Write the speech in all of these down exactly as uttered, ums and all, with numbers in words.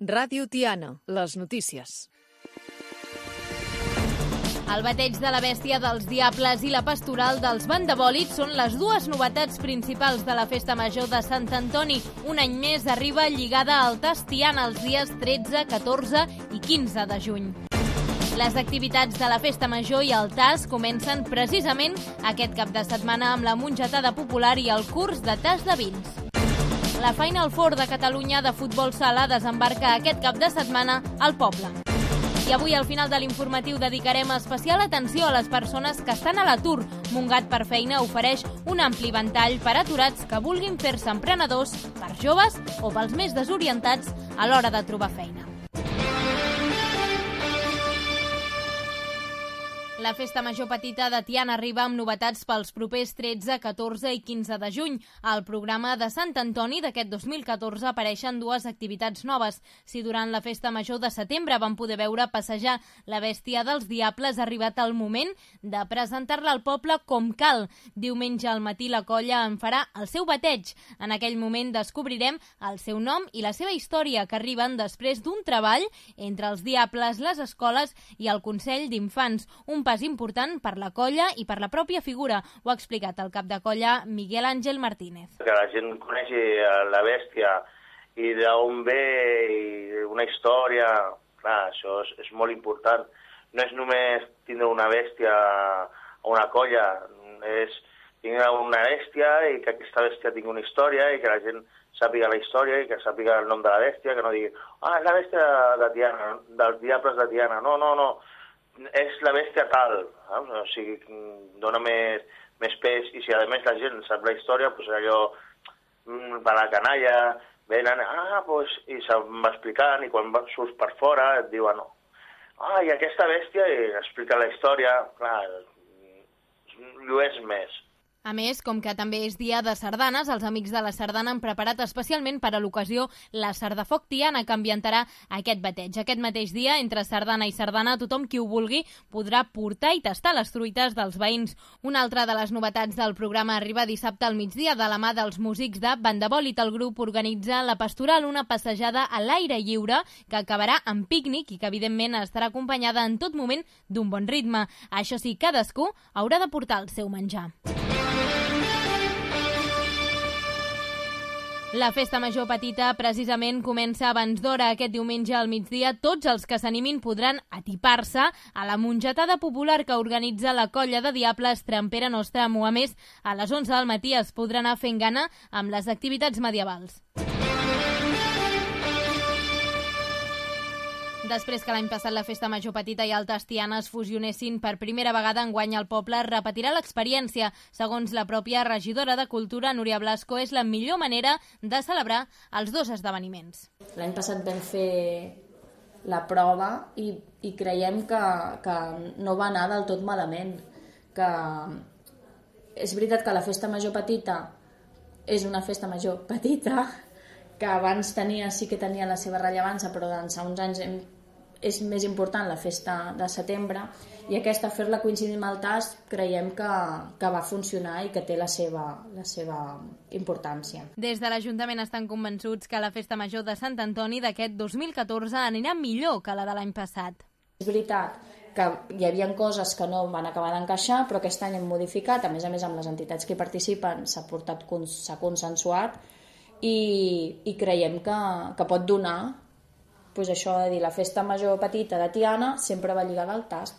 Ràdio Tiana, les notícies. El bateig de la bèstia dels diables i la pastoral dels bandabòlids són les dues novetats principals de la Festa Major de Sant Antoni. Un any més arriba lligada al Tas Tiana els dies tretze, catorze i quinze de juny. Les activitats de la Festa Major i el Tas comencen precisament aquest cap de setmana amb la mongetada popular i el curs de tas de vins. La Final Four de Catalunya de futbol sala desembarca aquest cap de setmana al poble. I avui, al final de l'informatiu, dedicarem especial atenció a les persones que estan a l'atur. Montgat per Feina ofereix un ampli ventall per a aturats que vulguin fer-se emprenedors, per joves o pels més desorientats a l'hora de trobar feina. La Festa Major Petita de Tiana arriba amb novetats pels propers tretze, catorze i quinze de juny. Al programa de Sant Antoni d'aquest dos mil catorze apareixen dues activitats noves. Si durant la Festa Major de setembre vam poder veure passejar la bèstia dels diables, ha arribat el moment de presentar-la al poble com cal. Diumenge al matí la colla en farà el seu bateig. En aquell moment descobrirem el seu nom i la seva història, que arriben després d'un treball entre els diables, les escoles i el Consell d'Infants. Un pas important per la colla i per la pròpia figura. Ho ha explicat el cap de colla Miguel Àngel Martínez. Que la gent coneixi la bèstia i d'on ve i una història, clar, això és, és molt important. No és només tindre una bèstia o una colla, és tindre una bèstia i que aquesta bèstia tingui una història i que la gent sàpiga la història i que sàpiga el nom de la bèstia, que no digui, ah, és la bèstia de Tiana, dels diables de Tiana. No, no, no. És la bèstia tal, eh? O sigui, dona més, més pes, i si a més la gent sap la història, doncs allò, per la canalla, venen, ah, doncs, i se'n va explicant, i quan surts per fora et diuen, no, ah, i aquesta bèstia, i explica la història, clar, llueix més. A més, com que també és dia de sardanes, els amics de la sardana han preparat especialment per a l'ocasió la Sardafoc Tiana, que ambientarà aquest bateig. Aquest mateix dia, entre sardana i sardana, tothom qui ho vulgui podrà portar i tastar les truites dels veïns. Una altra de les novetats del programa arriba dissabte al migdia de la mà dels músics de Bandabòlid. El grup organitza la pastoral, una passejada a l'aire lliure que acabarà amb pícnic i que, evidentment, estarà acompanyada en tot moment d'un bon ritme. Això sí, cadascú haurà de portar el seu menjar. La Festa Major Petita precisament comença abans d'hora. Aquest diumenge al migdia tots els que s'animin podran atipar-se a la mongetada popular que organitza la colla de diables Trampera Nostramo. A més, a les onze del matí es podrà anar fent gana amb les activitats medievals. Després que l'any passat la Festa Major Petita i el Tas Tiana es fusionessin per primera vegada, enguany el poble repetirà l'experiència. Segons la pròpia regidora de Cultura, Núria Blasco, és la millor manera de celebrar els dos esdeveniments. L'any passat vam fer la prova i, i creiem que, que no va anar del tot malament. Que és veritat que la Festa Major Petita és una Festa Major petita, que abans tenia, sí que tenia la seva rellevància, però doncs fa uns anys hem és més important la festa de setembre, i aquesta, fer-la coincidir amb el Tas, creiem que, que va funcionar i que té la seva, la seva importància. Des de l'Ajuntament estan convençuts que la Festa Major de Sant Antoni d'aquest dos mil catorze anirà millor que la de l'any passat. És veritat que hi havia coses que no van acabar d'encaixar, però aquest any hem modificat, a més a més amb les entitats que hi participen s'ha portat, s'ha consensuat, i, i creiem que, que pot donar, pues això de dir, la Festa Major Petita de Tiana sempre va lligada al Tas.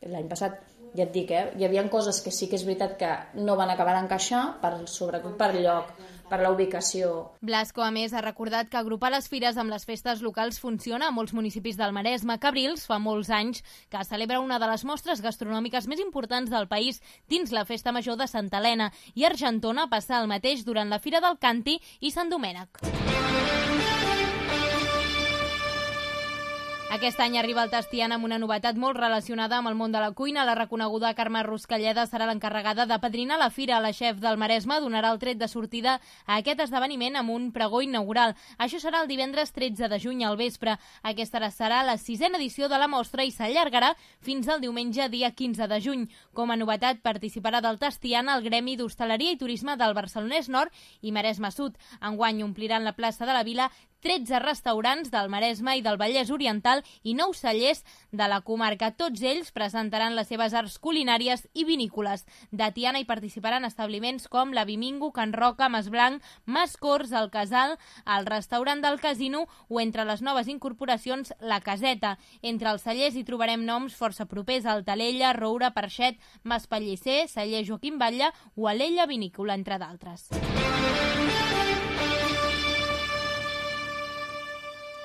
L'any passat, ja et dic, eh, hi havia coses que sí que és veritat que no van acabar d'encaixar, per, sobretot per lloc, per la ubicació. Blasco, a més, ha recordat que agrupar les fires amb les festes locals funciona a molts municipis del Maresme. Cabrils fa molts anys que celebra una de les mostres gastronòmiques més importants del país dins la Festa Major de Santa Helena, i Argentona passa el mateix durant la Fira del Canti i Sant Domènec. Aquest any arriba el Tas Tiana amb una novetat molt relacionada amb el món de la cuina. La reconeguda Carme Ruscalleda serà l'encarregada de padrinar la fira. La xef del Maresme donarà el tret de sortida a aquest esdeveniment amb un pregó inaugural. Això serà el divendres tretze de juny al vespre. Aquesta serà la sisena edició de la mostra i s'allargarà fins al diumenge dia quinze de juny. Com a novetat participarà del Tas Tiana el Gremi d'Hostaleria i Turisme del Barcelonès Nord i Maresme Sud. Enguany ompliran la plaça de la Vila tretze restaurants del Maresme i del Vallès Oriental i nou cellers de la comarca. Tots ells presentaran les seves arts culinàries i vinícoles. De Tiana hi participaran establiments com la Vimingo, Can Roca, Mas Blanc, Mas Cors, el Casal, el restaurant del Casino o entre les noves incorporacions la Caseta. Entre els cellers hi trobarem noms força propers al Talella, Roura, Parxet, Mas Pellicer, celler Joaquim Batlle o Alella Vinícola, entre d'altres.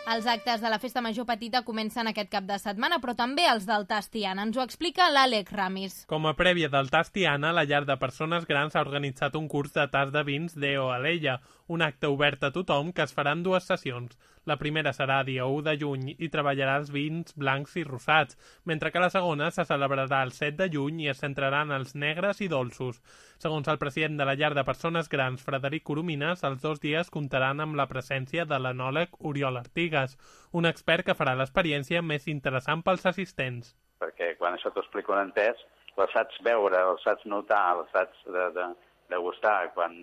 Els actes de la Festa Major Petita comencen aquest cap de setmana, però també els del Tas Tiana. Ens ho explica l'Àlex Ramis. Com a prèvia del Tas Tiana, la llar de persones grans ha organitzat un curs de tas de vins d'Eo Alella, un acte obert a tothom que es farà en dues sessions. La primera serà dia u de juny i treballarà els vins blancs i rosats, mentre que la segona se celebrarà el set de juny i es centrarà en els negres i dolços. Segons el president de la llar de persones grans, Frederic Coromines, els dos dies comptaran amb la presència de l'enòleg Oriol Artigas, un expert que farà l'experiència més interessant pels assistents. Perquè quan això t'ho explico en entès, la saps veure, la saps notar, la saps de, de, de gustar. Quan,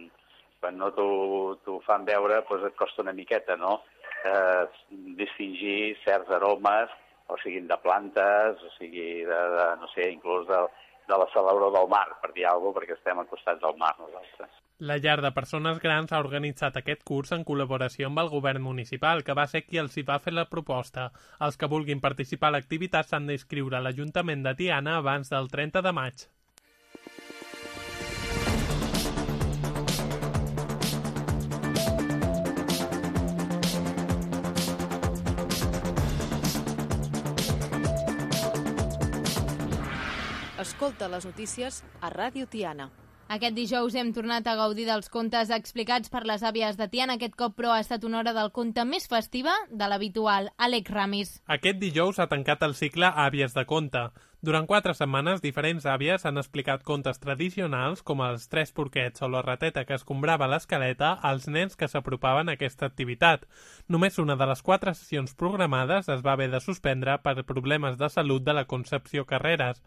quan no t'ho fan veure, doncs et costa una miqueta, no? Eh, distingir certs aromes, o siguin de plantes, o sigui de, de no sé, inclús de, de la salabror del mar, per dir alguna cosa, perquè estem al costat del mar nosaltres. La llar de persones grans ha organitzat aquest curs en col·laboració amb el govern municipal, que va ser qui els hi va fer la proposta. Els que vulguin participar a l'activitat s'han d'inscriure a l'Ajuntament de Tiana abans del trenta de maig. Escolta les notícies a Ràdio Tiana. Aquest dijous hem tornat a gaudir dels contes explicats per les àvies de Tiana. Aquest cop, però, ha estat una hora del conte més festiva de l'habitual. Àlex Ramis. Aquest dijous ha tancat el cicle Àvies de conte. Durant quatre setmanes, diferents àvies han explicat contes tradicionals com els Tres porquets o la rateta que escombrava l'escaleta als nens que s'apropaven a aquesta activitat. Només una de les quatre sessions programades es va haver de suspendre per problemes de salut de la Concepció Carreras.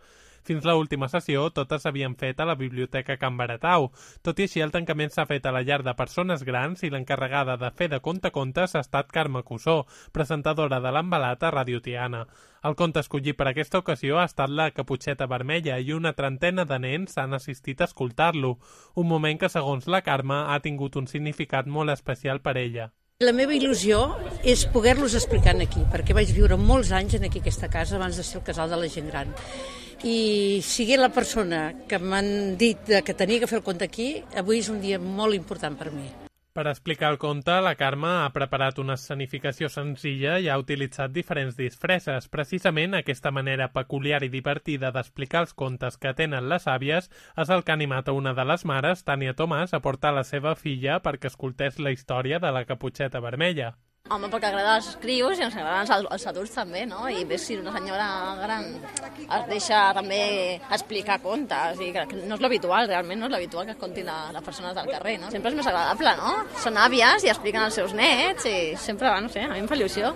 Fins l'última sessió, totes s'havien fet a la Biblioteca Can Baratau. Tot i així, el tancament s'ha fet a la llar de persones grans i l'encarregada de fer de contacontes ha estat Carme Cussó, presentadora de l'Embalat a Ràdio Tiana. El conte escollit per aquesta ocasió ha estat La Caputxeta Vermella i una trentena de nens han assistit a escoltar-lo, un moment que, segons la Carme, ha tingut un significat molt especial per ella. La meva il·lusió és poder-los explicar aquí, perquè vaig viure molts anys en aquí aquesta casa abans de ser el casal de la gent gran. I sigui la persona que m'han dit que tenia que fer el conte aquí, avui és un dia molt important per mi. Per explicar el conte, la Carme ha preparat una escenificació senzilla i ha utilitzat diferents disfresses. Precisament aquesta manera peculiar i divertida d'explicar els contes que tenen les àvies és el que ha animat a una de les mares, Tània Tomàs, a portar la seva filla perquè escoltés la història de la Caputxeta Vermella. Home, perquè agrada als crios i ens agraden els, els adults també, no? I ves si una senyora gran es deixa també explicar contes, i que no és l'habitual, realment no és l'habitual que es contin a les persones del carrer, no? Sempre és més agradable, no? Són àvies i expliquen als seus nets i sempre, no sé, a mi em fa il·lusió.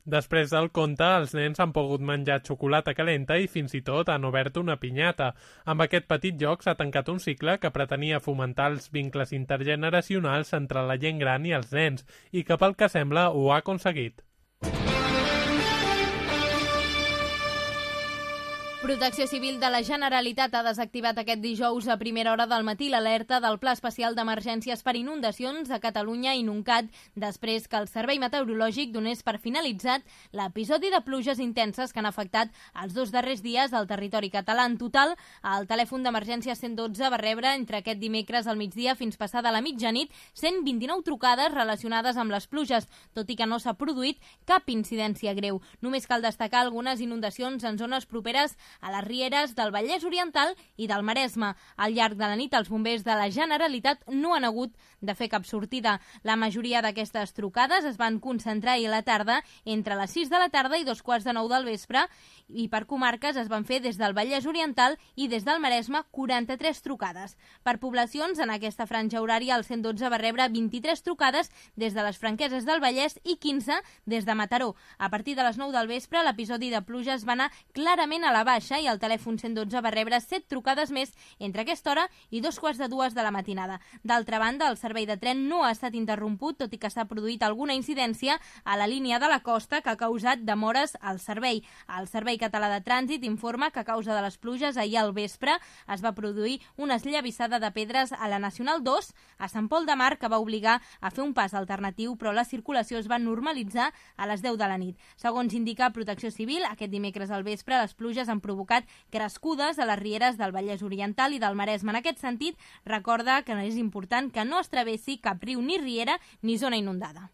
Després del conte, els nens han pogut menjar xocolata calenta i fins i tot han obert una pinyata. Amb aquest petit joc s'ha tancat un cicle que pretenia fomentar els vincles intergeneracionals entre la gent gran i els nens, i que pel que sembla ho ha aconseguit. Protecció Civil de la Generalitat ha desactivat aquest dijous a primera hora del matí l'alerta del Pla Especial d'Emergències per Inundacions a Catalunya i Nuncat després que el Servei Meteorològic donés per finalitzat l'episodi de pluges intenses que han afectat els dos darrers dies al territori català. En total, el telèfon d'emergència cent dotze va rebre entre aquest dimecres al migdia fins passada la mitjanit cent vint-i-nou trucades relacionades amb les pluges, tot i que no s'ha produït cap incidència greu. Només cal destacar algunes inundacions en zones properes a les rieres del Vallès Oriental i del Maresme. Al llarg de la nit, els bombers de la Generalitat no han hagut de fer cap sortida. La majoria d'aquestes trucades es van concentrar ahir a la tarda entre les sis de la tarda i dos quarts de nou del vespre, i per comarques es van fer des del Vallès Oriental i des del Maresme quaranta-tres trucades. Per poblacions, en aquesta franja horària, el cent dotze va rebre vint-i-tres trucades des de les Franqueses del Vallès i quinze des de Mataró. A partir de les nou del vespre, l'episodi de pluges va anar clarament a la baixa. baixa i el telèfon cent dotze va rebre set trucades més entre aquesta hora i dos quarts de dues de la matinada. D'altra banda, el servei de tren no ha estat interromput, tot i que s'ha produït alguna incidència a la línia de la costa que ha causat demores al servei. El Servei Català de Trànsit informa que a causa de les pluges ahir al vespre es va produir una esllavissada de pedres a la Nacional dos a Sant Pol de Mar que va obligar a fer un pas alternatiu, però la circulació es va normalitzar a les deu de la nit. Segons indica Protecció Civil, aquest dimecres al vespre les pluges han provocat crescudes a les rieres del Vallès Oriental i del Maresme. En aquest sentit, recorda que és important que no es travessi cap riu ni riera ni zona inundada.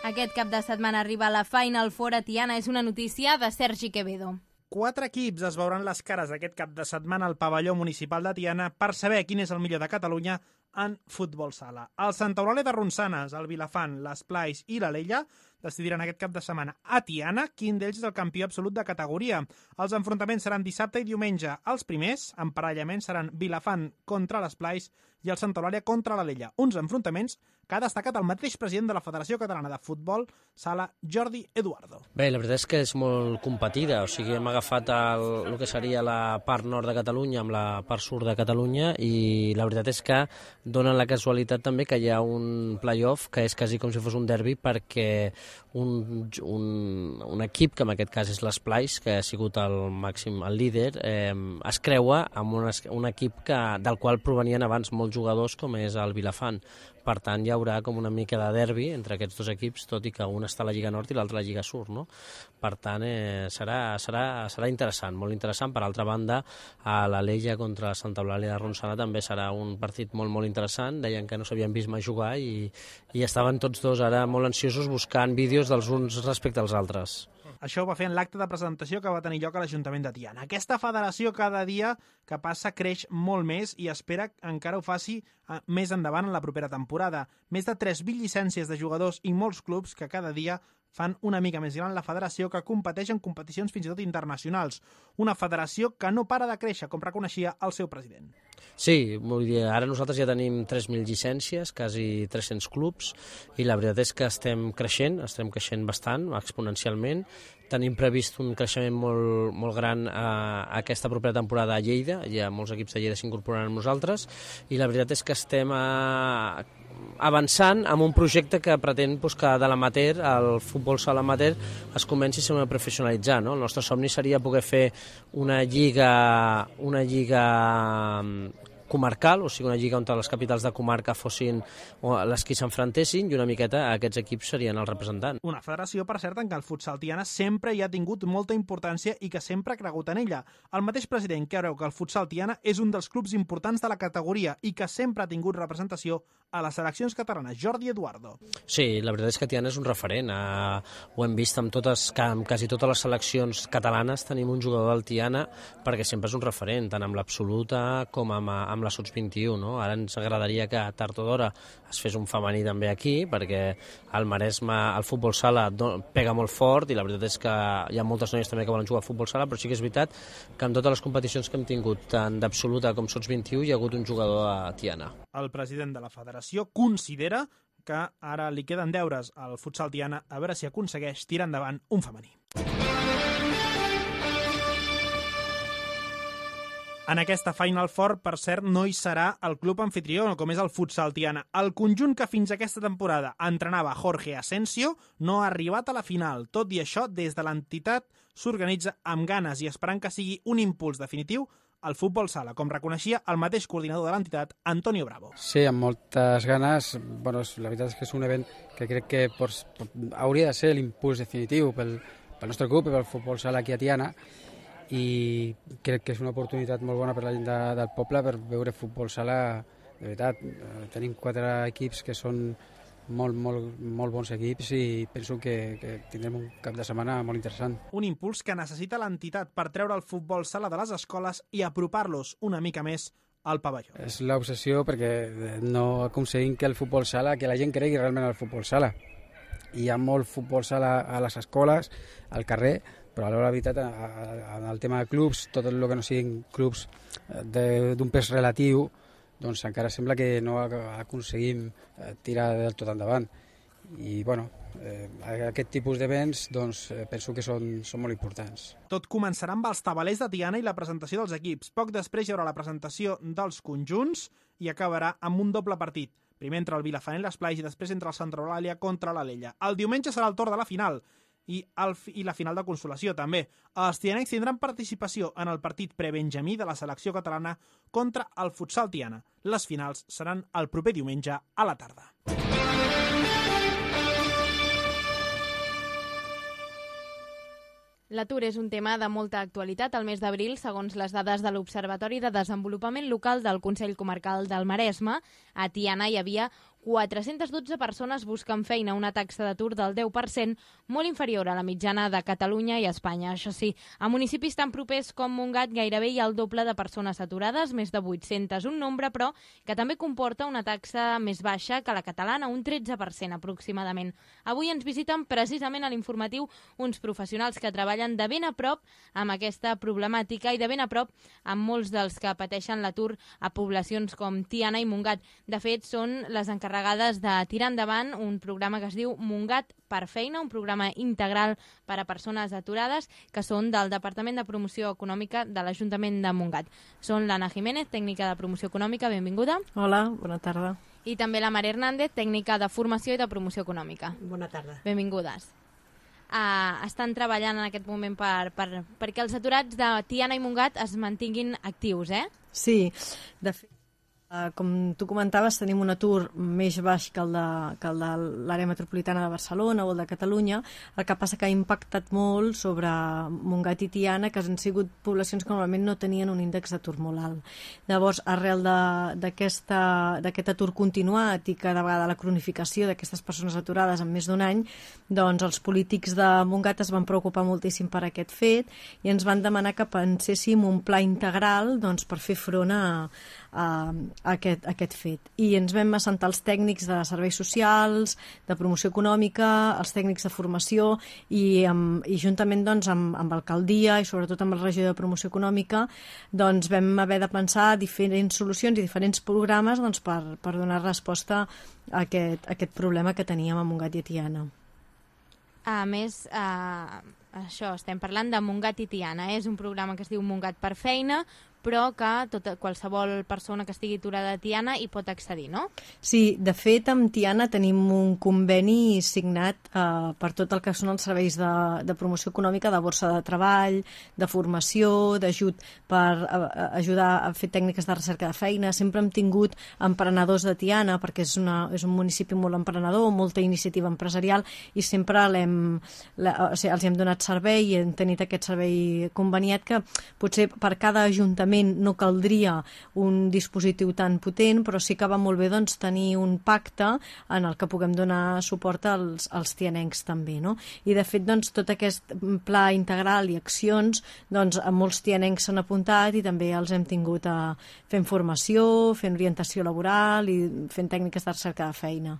Aquest cap de setmana arriba la Final Four a Tiana. És una notícia de Sergi Quevedo. Quatre equips es veuran les cares aquest cap de setmana al pavelló municipal de Tiana per saber quin és el millor de Catalunya en futbol sala. El Santa Eulàlia de Ronçanes, el Vilafant, l'Esplais i l'Alella decidiran aquest cap de setmana a Tiana quin d'ells és el campió absolut de categoria. Els enfrontaments seran dissabte i diumenge. Els primers emparellaments seran Vilafant contra l'Esplais i el Santa Eulàlia contra l'Alella. Uns enfrontaments que ha destacat el mateix president de la Federació Catalana de Futbol Sala, Jordi Eduardo. Bé, la veritat és que és molt competida, o sigui, hem agafat el, el que seria la part nord de Catalunya amb la part sud de Catalunya i la veritat és que donen la casualitat també que hi ha un play-off que és quasi com si fos un derbi perquè un, un, un equip, que en aquest cas és l'Esplais, que ha sigut el màxim, el líder, eh, es creua amb un, un equip que, del qual provenien abans molts jugadors com és el Vilafant. Per tant, hi haurà com una mica de derbi entre aquests dos equips, tot i que un està a la Lliga Nord i l'altre a la Lliga Sud, no? Per tant, eh, serà, serà, serà interessant, molt interessant. Per altra banda, a l'Alella contra la Santa Eulàlia de Ronçana també serà un partit molt, molt interessant. Deien que no s'havien vist mai jugar i, i estaven tots dos ara molt ansiosos buscant vídeos dels uns respecte als altres. Això ho va fer en l'acte de presentació que va tenir lloc a l'Ajuntament de Tiana. Aquesta federació cada dia que passa creix molt més i espera que encara ho faci més endavant en la propera temporada. Més de tres mil llicències de jugadors i molts clubs que cada dia fan una mica més gran la federació, que competeix en competicions fins i tot internacionals. Una federació que no para de créixer, com reconeixia el seu president. Sí, vull dir, ara nosaltres ja tenim tres mil llicències, quasi tres-cents clubs, i la veritat és que estem creixent, estem creixent bastant, exponencialment. Tenim previst un creixement molt, molt gran a, a aquesta propera temporada a Lleida, hi ha molts equips de Lleida s'incorporaran amb nosaltres, i la veritat és que estem a, avançant amb un projecte que pretén pues, que de l'amateur, el futbol sala amateur, es comenci a professionalitzar. No? El nostre somni seria poder fer una lliga, una lliga comarcal, o sigui, una lliga on les capitals de comarca fossin les que s'enfrontessin i una miqueta aquests equips serien els representants. Una federació, per cert, en què el futsal Tiana sempre hi ha tingut molta importància i que sempre ha cregut en ella. El mateix president creu que el futsal Tiana és un dels clubs importants de la categoria i que sempre ha tingut representació a les seleccions catalanes. Jordi Eduardo. Sí, la veritat és que Tiana és un referent. Uh, ho hem vist amb, totes, amb quasi totes les seleccions catalanes tenim un jugador del Tiana perquè sempre és un referent, tant amb l'absoluta com amb, amb la sots vint-i-u. No? Ara ens agradaria que tard o d'hora es fes un femení també aquí, perquè al Maresme el futbol sala pega molt fort i la veritat és que hi ha moltes noies també que volen jugar a futbol sala, però sí que és veritat que en totes les competicions que hem tingut, tant d'absoluta com sots vint-i-u, hi ha hagut un jugador a Tiana. El president de la federació considera que ara li queden deures al futsal Tiana a veure si aconsegueix tirar endavant un femení. En aquesta Final Four, per cert, no hi serà el club anfitrió, com és el futsal Tiana. El conjunt que fins aquesta temporada entrenava Jorge Asensio no ha arribat a la final. Tot i això, des de l'entitat s'organitza amb ganes i esperant que sigui un impuls definitiu al futbol sala, com reconeixia el mateix coordinador de l'entitat, Antonio Bravo. Sí, amb moltes ganes. Bueno, la veritat és que és un event que crec que pues, hauria de ser l'impuls definitiu pel, pel nostre club i pel futbol sala aquí a Tiana, i crec que és una oportunitat molt bona per la gent de, del poble per veure futbol sala. De veritat, tenim quatre equips que són molt, molt, molt bons equips i penso que, que tindrem un cap de setmana molt interessant. Un impuls que necessita l'entitat per treure el futbol sala de les escoles i apropar-los una mica més al pavelló. És l'obsessió perquè no aconseguim que el futbol sala, que la gent cregui realment al futbol sala. Hi ha molt futbol sala a les escoles, al carrer, però a l'hora de veritat, en el tema de clubs, tot el que no siguin clubs d'un pes relatiu, doncs encara sembla que no aconseguim tirar del tot endavant. i bueno, eh, aquest tipus d'events doncs, eh, penso que són, són molt importants. Tot començarà amb els tabalers de Tiana i la presentació dels equips. Poc després hi haurà la presentació dels conjunts i acabarà amb un doble partit. Primer entre el Vilafant i l'Esplai i després entre el Santa Eulàlia contra l'Alella. El diumenge serà el torn de la final i, el, i la final de consolació també. Els tianencs tindran participació en el partit prebenjamí de la selecció catalana contra el Futsal Tiana. Les finals seran el proper diumenge a la tarda. L'atur és un tema de molta actualitat. Al mes d'abril, segons les dades de l'Observatori de Desenvolupament Local del Consell Comarcal del Maresme, a Tiana hi havia quatre-centes dotze persones buscant feina, una taxa d'atur del deu per cent, molt inferior a la mitjana de Catalunya i Espanya. Això sí, a municipis tan propers com Montgat gairebé hi ha el doble de persones aturades, més de vuit-centes, un nombre, però, que també comporta una taxa més baixa que la catalana, un tretze per cent aproximadament. Avui ens visiten precisament a l'informatiu uns professionals que treballen de ben a prop amb aquesta problemàtica i de ben a prop amb molts dels que pateixen l'atur a poblacions com Tiana i Montgat. De fet, són les encarregades de tirar endavant un programa que es diu Montgat per Feina, un programa integral per a persones aturades que són del Departament de Promoció Econòmica de l'Ajuntament de Montgat. Són l'Anna Jiménez, tècnica de Promoció Econòmica, benvinguda. Hola, bona tarda. I també la Maria Hernández, tècnica de Formació i de Promoció Econòmica. Bona tarda. Benvingudes. Uh, estan treballant en aquest moment per, per, perquè els aturats de Tiana i Montgat es mantinguin actius, eh? Sí, de fet, Uh, com tu comentaves, tenim un atur més baix que el de, que el de l'àrea metropolitana de Barcelona o el de Catalunya. El que passa que ha impactat molt sobre Montgat i Tiana, que han sigut poblacions que normalment no tenien un índex d'atur molt alt. Llavors, arrel d'aquest atur continuat i cada vegada la cronificació d'aquestes persones aturades en més d'un any, doncs els polítics de Montgat es van preocupar moltíssim per aquest fet i ens van demanar que penséssim un pla integral doncs, per fer front a, a Aquest, aquest fet. I ens vam assentar els tècnics de serveis socials, de promoció econòmica, els tècnics de formació i, amb, i juntament doncs, amb, amb l'alcaldia i sobretot amb la regió de promoció econòmica doncs, vam haver de pensar diferents solucions i diferents programes doncs, per, per donar resposta a aquest, a aquest problema que teníem a Montgat i a Tiana. A més, eh, això, estem parlant de Montgat i Tiana. Eh? És un programa que es diu Montgat per Feina, però que tota, qualsevol persona que estigui aturada a Tiana hi pot accedir, no? Sí, de fet, amb Tiana tenim un conveni signat eh, per tot el que són els serveis de, de promoció econòmica, de borsa de treball, de formació, d'ajut per eh, ajudar a fer tècniques de recerca de feina. Sempre hem tingut emprenedors de Tiana, perquè és, una, és un municipi molt emprenedor, molta iniciativa empresarial, i sempre l'hem, la, o sigui, els hem donat servei i hem tenit aquest servei conveniat que potser per cada ajuntament no caldria un dispositiu tan potent, però sí que va molt bé doncs, tenir un pacte en el que puguem donar suport als, als tianencs també. No? I de fet doncs, tot aquest pla integral i accions, doncs, molts tianencs s'han apuntat i també els hem tingut a, fent formació, fent orientació laboral i fent tècniques de recerca de feina.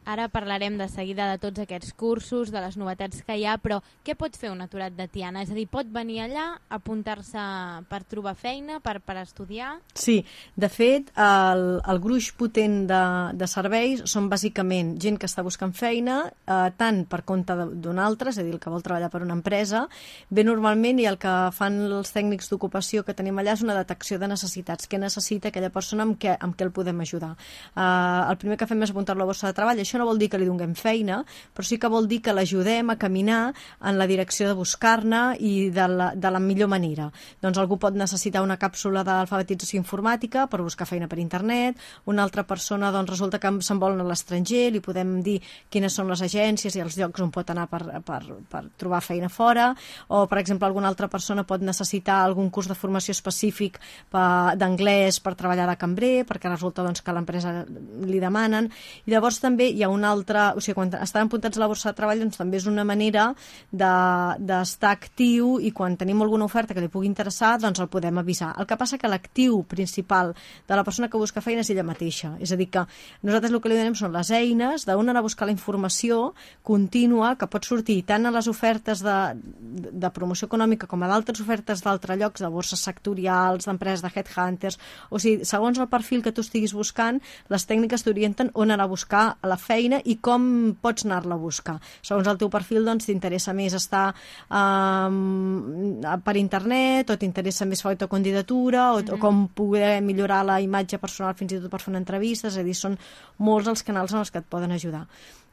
Ara parlarem de seguida de tots aquests cursos, de les novetats que hi ha, però què pot fer un aturat de Tiana? És a dir, pot venir allà, apuntar-se per trobar feina, per, per estudiar? Sí, de fet, el, el gruix potent de, de serveis són bàsicament gent que està buscant feina, eh, tant per compte d'un altre, és a dir, el que vol treballar per una empresa, bé normalment, i el que fan els tècnics d'ocupació que tenim allà és una detecció de necessitats, què necessita aquella persona, amb què, amb què el podem ajudar. Eh, el primer que fem és apuntar-lo a borsa de treball. Això no vol dir que li donem feina, però sí que vol dir que l'ajudem a caminar en la direcció de buscar-ne i de la, de la millor manera. Doncs algú pot necessitar una càpsula d'alfabetització informàtica per buscar feina per internet, una altra persona doncs, resulta que se'n vol a l'estranger, li podem dir quines són les agències i els llocs on pot anar per, per, per trobar feina fora, o per exemple alguna altra persona pot necessitar algun curs de formació específic d'anglès per treballar de cambrer, perquè resulta doncs, que a l'empresa li demanen, i llavors també hi ha una altra, o sigui, quan estan apuntats a la borsa de treball, doncs també és una manera d'estar de, actiu i quan tenim alguna oferta que li pugui interessar, doncs el podem avisar. El que passa que l'actiu principal de la persona que busca feina és ella mateixa. És a dir, que nosaltres el que li donem són les eines d'on anar a buscar la informació contínua que pot sortir tant a les ofertes de, de, de promoció econòmica com a d'altres ofertes d'altres llocs, de borses sectorials, d'empreses de headhunters. O sigui, segons el perfil que tu estiguis buscant, les tècniques t'orienten on anar a buscar la feina i com pots anar-la a buscar. Segons el teu perfil, doncs, t'interessa més estar um, per internet, o t'interessa més fer autocandidatura, o, mm-hmm. o com poder millorar la imatge personal fins i tot per fer una entrevista, és a dir, són molts els canals en els que et poden ajudar.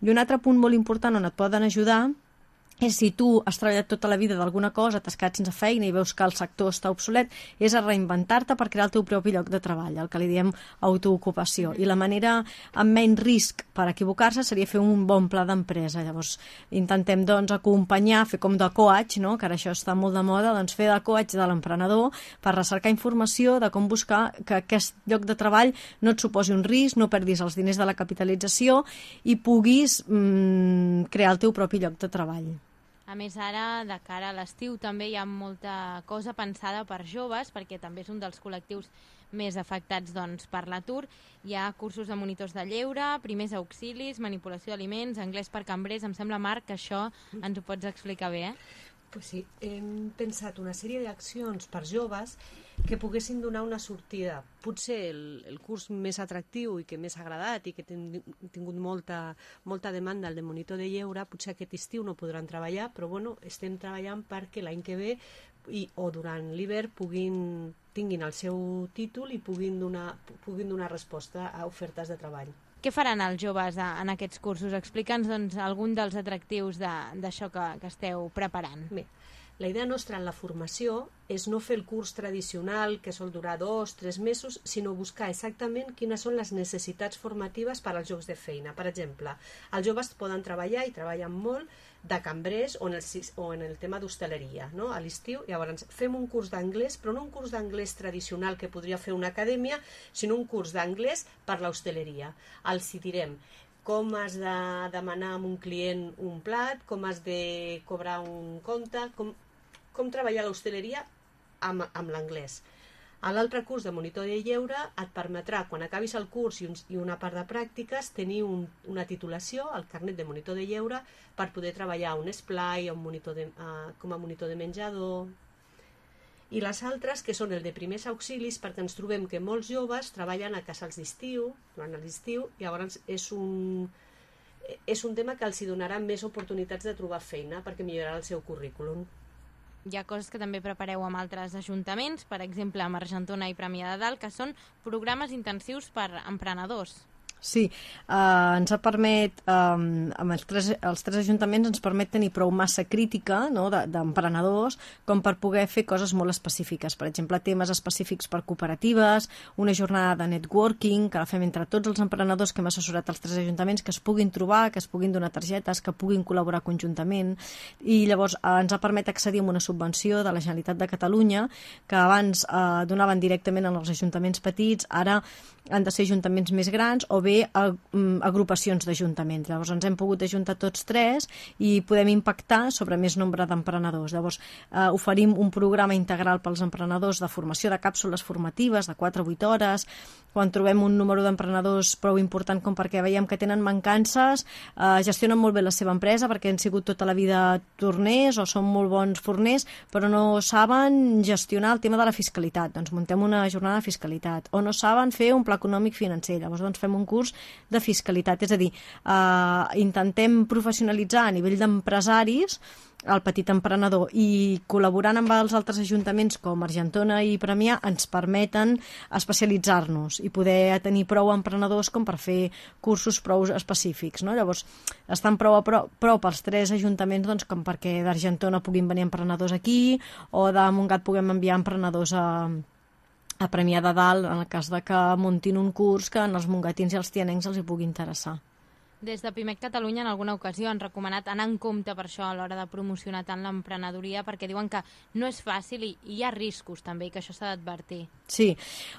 I un altre punt molt important on et poden ajudar és si tu has treballat tota la vida d'alguna cosa, t'has quedat sense feina i veus que el sector està obsolet, és a reinventar-te per crear el teu propi lloc de treball, el que li diem autoocupació. I la manera amb menys risc per equivocar-se seria fer un bon pla d'empresa. Llavors, intentem doncs acompanyar, fer com de coach, no? Que ara això està molt de moda, doncs fer de coach de l'emprenedor per recercar informació de com buscar que aquest lloc de treball no et suposi un risc, no perdis els diners de la capitalització i puguis mm, crear el teu propi lloc de treball. A més, ara, de cara a l'estiu, també hi ha molta cosa pensada per joves, perquè també és un dels col·lectius més afectats doncs, per l'atur. Hi ha cursos de monitors de lleure, primers auxilis, manipulació d'aliments, anglès per cambrers. Em sembla, Marc, que això ens ho pots explicar bé, eh? Pues sí, hem pensat una sèrie d'accions per joves que poguessin donar una sortida. Potser el, el curs més atractiu i que més ha agradat i que ha tingut molta, molta demanda, el de monitor de lleure, potser aquest estiu no podran treballar, però bueno, estem treballant perquè l'any que ve i, o durant l'hivern puguin, tinguin el seu títol i puguin donar, puguin donar resposta a ofertes de treball. Què faran els joves en aquests cursos? Explica'ns doncs, algun dels atractius d'això que, que esteu preparant. Bé, la idea nostra en la formació és no fer el curs tradicional que sol durar dos, tres mesos, sinó buscar exactament quines són les necessitats formatives per als llocs de feina. Per exemple, els joves poden treballar i treballen molt de cambrers o en el, o en el tema d'hostaleria, no? A l'estiu. Llavors fem un curs d'anglès, però no un curs d'anglès tradicional que podria fer una acadèmia, sinó un curs d'anglès per l'hostaleria. Els hi direm com has de demanar a un client un plat, com has de cobrar un compte, com, com treballar a l'hostaleria amb, amb l'anglès. A l'altre curs de monitor de lleure et permetrà, quan acabis el curs i, un, i una part de pràctiques, tenir un, una titulació, el carnet de monitor de lleure, per poder treballar a un esplai, a un monitor de, a, com a monitor de menjador. I les altres, que són el de primers auxilis, perquè ens trobem que molts joves treballen a casals d'estiu, durant l'estiu, i llavors és un, és un tema que els donarà més oportunitats de trobar feina perquè millorarà el seu currículum. Hi ha coses que també prepareu amb altres ajuntaments, per exemple, amb Argentona i Premià de Dalt, que són programes intensius per emprenedors. Sí, eh, ens permet, eh, amb els tres, els tres ajuntaments ens permet tenir prou massa crítica, no, d'emprenedors, com per poder fer coses molt específiques. Per exemple, temes específics per cooperatives, una jornada de networking, que la fem entre tots els emprenedors que hem assessorat als tres ajuntaments, que es puguin trobar, que es puguin donar targetes, que puguin col·laborar conjuntament, i llavors eh, ens permet accedir a una subvenció de la Generalitat de Catalunya, que abans eh, donaven directament als ajuntaments petits, ara han de ser ajuntaments més grans o bé a, um, agrupacions d'ajuntaments. Llavors ens hem pogut ajuntar tots tres i podem impactar sobre més nombre d'emprenedors. Llavors eh, oferim un programa integral pels emprenedors de formació de càpsules formatives de quatre a vuit hores. Quan trobem un número d'emprenedors prou important com perquè veiem que tenen mancances, eh, gestionen molt bé la seva empresa perquè han sigut tota la vida torners o són molt bons forners, però no saben gestionar el tema de la fiscalitat. Doncs muntem una jornada de fiscalitat. O no saben fer un pla econòmic financer. Llavors doncs fem un curs de fiscalitat. És a dir, eh, intentem professionalitzar a nivell d'empresaris el petit emprenedor i col·laborant amb els altres ajuntaments com Argentona i Premià ens permeten especialitzar-nos i poder tenir prou emprenedors com per fer cursos prou específics, no? Llavors estan prou a prop, prop els tres ajuntaments doncs, com perquè d'Argentona puguin venir emprenedors aquí o de Montgat puguem enviar emprenedors a a Premià de Dalt, en el cas de que muntin un curs que en els mongatins i els tianencs els hi pugui interessar. Des de Pimec Catalunya en alguna ocasió han recomanat anar en compte per això a l'hora de promocionar tant l'emprenedoria perquè diuen que no és fàcil i hi ha riscos també i que això s'ha d'advertir. Sí,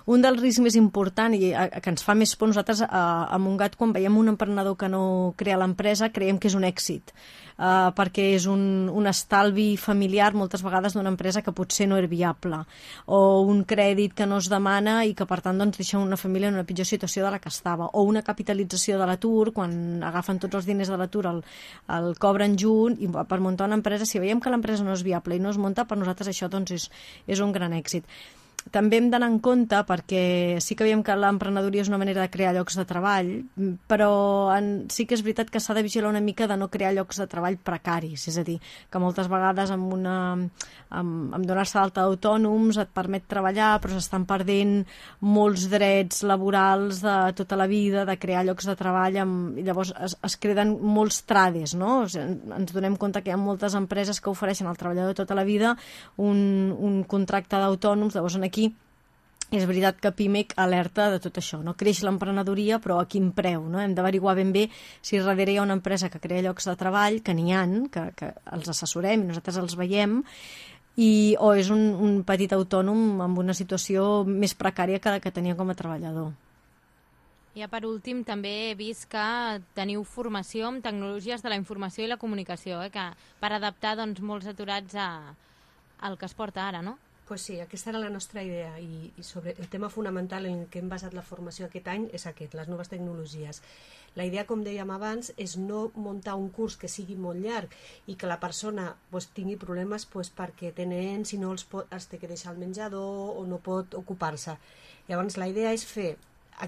un dels riscs més importants i que ens fa més por nosaltres a, a Montgat quan veiem un emprenedor que no crea l'empresa creiem que és un èxit uh, perquè és un, un estalvi familiar moltes vegades d'una empresa que potser no és viable o un crèdit que no es demana i que per tant doncs, deixa una família en una pitjor situació de la que estava o una capitalització de l'atur quan agafen tots els diners de l'atur, el, el cobren junt i per muntar una empresa, si veiem que l'empresa no és viable i no es munta, per nosaltres això doncs, és, és un gran èxit. també hem d'anar en compte, perquè sí que veiem que l'emprenedoria és una manera de crear llocs de treball, però en, sí que és veritat que s'ha de vigilar una mica de no crear llocs de treball precaris, és a dir, que moltes vegades amb, una, amb, amb donar-se d'alta d'autònoms et permet treballar, però s'estan perdent molts drets laborals de tota la vida, de crear llocs de treball, amb, i llavors es, es creen molts trades, no? O sigui, ens donem compte que hi ha moltes empreses que ofereixen al treballador tota la vida un, un contracte d'autònoms, llavors aquí és veritat que Pimec alerta de tot això, no? Creix l'emprenedoria, però a quin preu, no? Hem d'averiguar ben bé si darrere hi ha una empresa que crea llocs de treball, que n'hi ha, que, que els assessorem i nosaltres els veiem, i, o és un, un petit autònom amb una situació més precària que la que tenia com a treballador. Ja per últim, també he vist que teniu formació en tecnologies de la informació i la comunicació, eh? Que per adaptar doncs, molts aturats a, al que es porta ara, no? Pues sí, aquesta era la nostra idea i, i sobre el tema fonamental en què hem basat la formació aquest any és aquest, les noves tecnologies. La idea, com dèiem abans, és no muntar un curs que sigui molt llarg i que la persona pues, tingui problemes pues, perquè té nens i no els, pot, els té que deixar al menjador o no pot ocupar-se. Llavors la idea és fer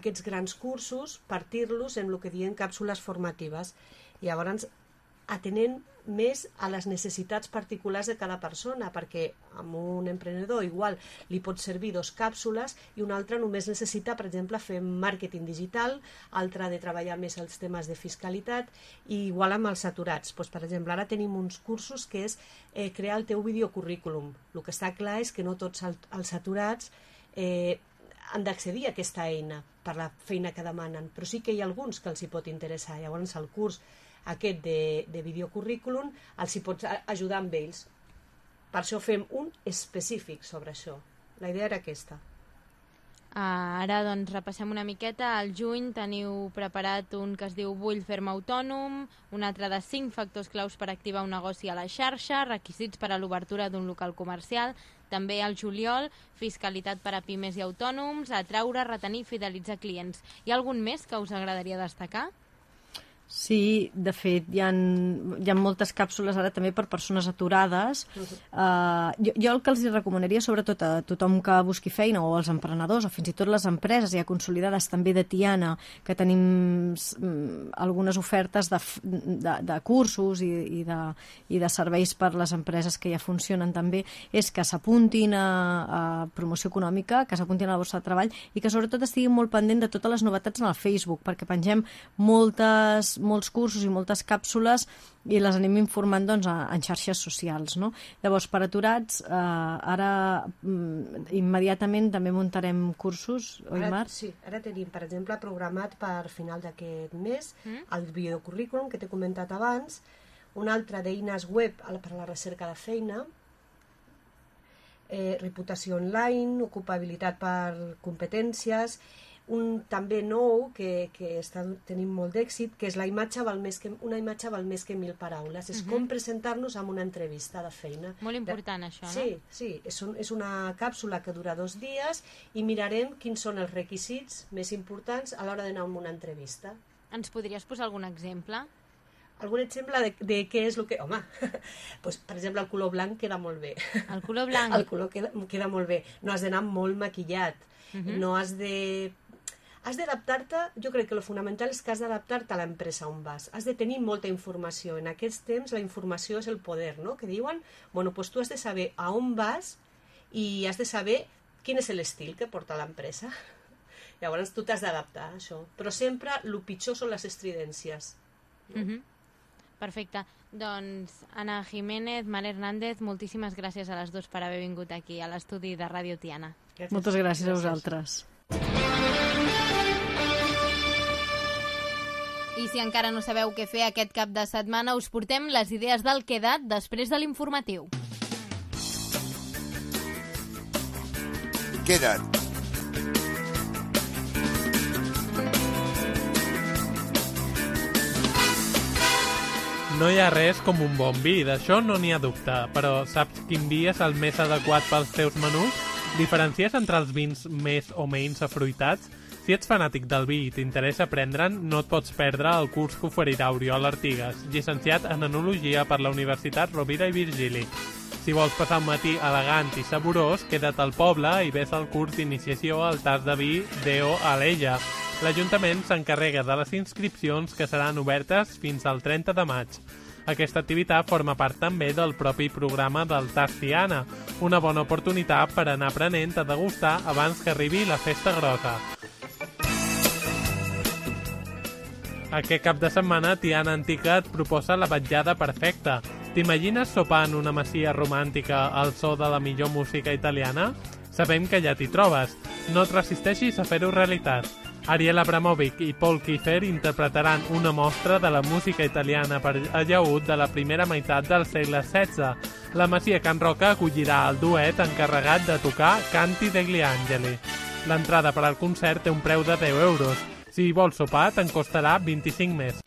aquests grans cursos, partir-los en el que diem càpsules formatives. Llavors atenent més a les necessitats particulars de cada persona, perquè amb un emprenedor igual li pot servir dos càpsules i un altre només necessita, per exemple, fer màrqueting digital, altre de treballar més els temes de fiscalitat, i igual amb els aturats. Pues, per exemple, ara tenim uns cursos que és eh, crear el teu videocurrículum. El que està clar és que no tots els aturats eh, han d'accedir a aquesta eina per la feina que demanen, però sí que hi ha alguns que els hi pot interessar. Llavors el curs aquest de, de videocurrículum els hi pots ajudar amb ells. Per això fem un específic sobre això. La idea era aquesta. Uh, ara doncs repassem una miqueta. Al juny teniu preparat un que es diu Vull fer-me autònom, un altre de cinc factors claus per activar un negoci a la xarxa, requisits per a l'obertura d'un local comercial. També al juliol, fiscalitat per a pimes i autònoms, atraure, retenir i fidelitzar clients. Hi ha algun més que us agradaria destacar? Sí, de fet, hi ha, hi ha moltes càpsules ara també per persones aturades. Uh, jo, jo el que els recomanaria, sobretot a tothom que busqui feina, o als emprenedors, o fins i tot les empreses ja consolidades també de Tiana, que tenim mm, algunes ofertes de, de, de cursos i, i, de, i de serveis per les empreses que ja funcionen també, és que s'apuntin a, a promoció econòmica, que s'apuntin a la borsa de treball i que sobretot estiguin molt pendent de totes les novetats en el Facebook, perquè pengem moltes molts cursos i moltes càpsules i les anem informant doncs, en xarxes socials, no? Llavors, per aturats, eh, ara mm, immediatament també muntarem cursos, oi, ara, Mar? Sí, ara tenim, per exemple, programat per final d'aquest mes mm? el videocurrículum que t'he comentat abans, un altre d'eines web per a la recerca de feina, eh, reputació online, ocupabilitat per competències, un també nou que, que està tenint molt d'èxit, que és la imatge val més que, una imatge val més que mil paraules. És uh-huh. com presentar-nos en una entrevista de feina. Molt important, de... això, no? Sí, sí. És, un, és una càpsula que dura dos dies i mirarem quins són els requisits més importants a l'hora d'anar a una entrevista. Ens podries posar algun exemple? Algun exemple de, de què és el que... Home, pues, per exemple, el color blanc queda molt bé. El color blanc? El color queda, queda molt bé. No has d'anar molt maquillat. Uh-huh. No has de... Has d'adaptar-te, jo crec que el fonamental és que has d'adaptar-te a l'empresa on vas. Has de tenir molta informació. En aquests temps la informació és el poder, no? Que diuen, bueno, pues tu has de saber a on vas i has de saber quin és l'estil que porta l'empresa. Llavors tu t'has d'adaptar a això. Però sempre el pitjor són les estridències. No? Uh-huh. Perfecte. Doncs Ana Jiménez, Mar Hernández, moltíssimes gràcies a les dues per haver vingut aquí a l'estudi de Ràdio Tiana. Gràcies. Moltes gràcies, gràcies a vosaltres. I si encara no sabeu què fer aquest cap de setmana, us portem les idees del Quedat després de l'informatiu. Quedat. No hi ha res com un bon vi, d'això no n'hi ha dubte, però saps quin vi és el més adequat pels teus menús? Diferencies entre els vins més o menys afruitats? Si ets fanàtic del vi i t'interessa aprendre'n, no et pots perdre el curs que oferirà Oriol Artigas, llicenciat en Enologia per la Universitat Rovira i Virgili. Si vols passar un matí elegant i saborós, queda't al poble i ves al curs d'iniciació al tas de vi Deo Alella. L'Ajuntament s'encarrega de les inscripcions que seran obertes fins al trenta de maig. Aquesta activitat forma part també del propi programa del Tas Tiana, una bona oportunitat per anar aprenent a degustar abans que arribi la festa grossa. Aquest cap de setmana Tiana Antica et proposa la vetllada perfecta. T'imagines sopar en una masia romàntica al so de la millor música italiana? Sabem que ja t'hi trobes. No et resisteixis a fer-ho realitat. Ariel Abramovic i Paul Kiefer interpretaran una mostra de la música italiana per allaüt de la primera meitat del segle setze. La Masia Can Roca acollirà el duet encarregat de tocar Canti degli Angeli. L'entrada per al concert té un preu de deu euros. Si hi vols sopar, te'n costarà vint-i-cinc més.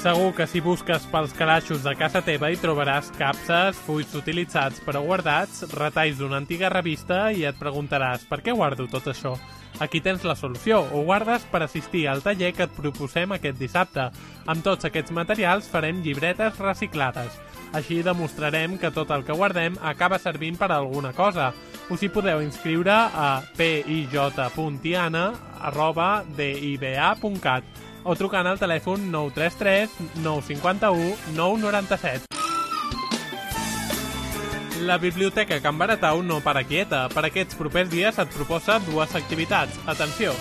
Segur que si busques pels calaixos de casa teva hi trobaràs capses, fulls utilitzats però guardats, retalls d'una antiga revista i et preguntaràs per què guardo tot això? Aquí tens la solució, ho guardes per assistir al taller que et proposem aquest dissabte. Amb tots aquests materials farem llibretes reciclades. Així demostrarem que tot el que guardem acaba servint per a alguna cosa. Us hi podeu inscriure a pij.tiana arroba diba punt cat o trucant al telèfon nou tres tres nou cinc u nou nou set. La Biblioteca Can Baratau no para quieta. Per aquests propers dies et proposa dues activitats. Atenció!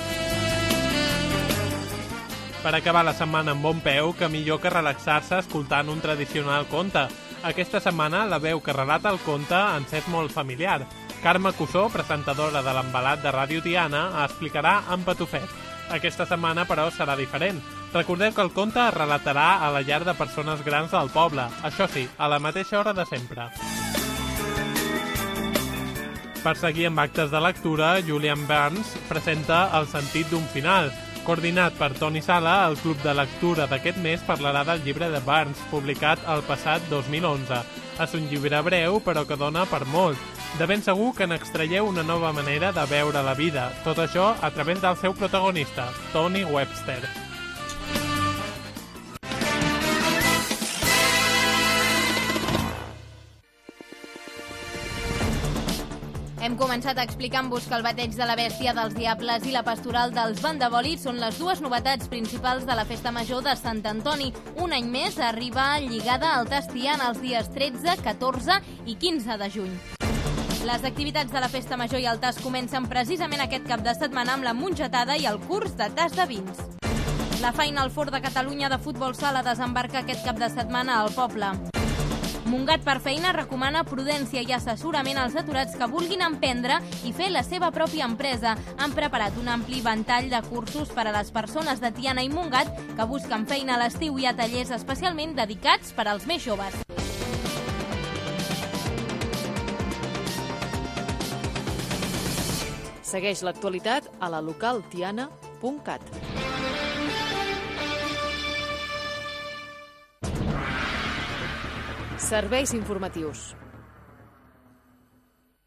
Per acabar la setmana amb bon peu, que millor que relaxar-se escoltant un tradicional conte. Aquesta setmana la veu que relata el conte ens és molt familiar. Carme Cussó, presentadora de l'Embalat de Ràdio Tiana, explicarà en Patufet. Aquesta setmana, però, serà diferent. Recordeu que el conte es relatarà a la llar de persones grans del poble. Això sí, a la mateixa hora de sempre. Per seguir amb actes de lectura, Julian Barnes presenta El sentit d'un final. Coordinat per Toni Sala, el club de lectura d'aquest mes parlarà del llibre de Barnes, publicat el passat dos mil onze. És un llibre breu, però que dona per molt. De ben segur que n'extraieu una nova manera de veure la vida. Tot això a través del seu protagonista, Tony Webster. Hem començat explicant-vos que el bateig de la bèstia dels diables i la pastoral dels bandebòlids són les dues novetats principals de la Festa Major de Sant Antoni. Un any més arriba lligada al Tas Tiana els dies tretze, catorze i quinze de juny. Les activitats de la Festa Major i el Tas comencen precisament aquest cap de setmana amb la mongetada i el curs de tas de vins. La Final Four de Catalunya de futbol sala desembarca aquest cap de setmana al poble. Montgat per Feina recomana prudència i assessorament als aturats que vulguin emprendre i fer la seva pròpia empresa. Han preparat un ampli ventall de cursos per a les persones de Tiana i Montgat que busquen feina a l'estiu i a tallers especialment dedicats per als més joves. Segueix l'actualitat a la local tiana punt cat. Serveis informatius.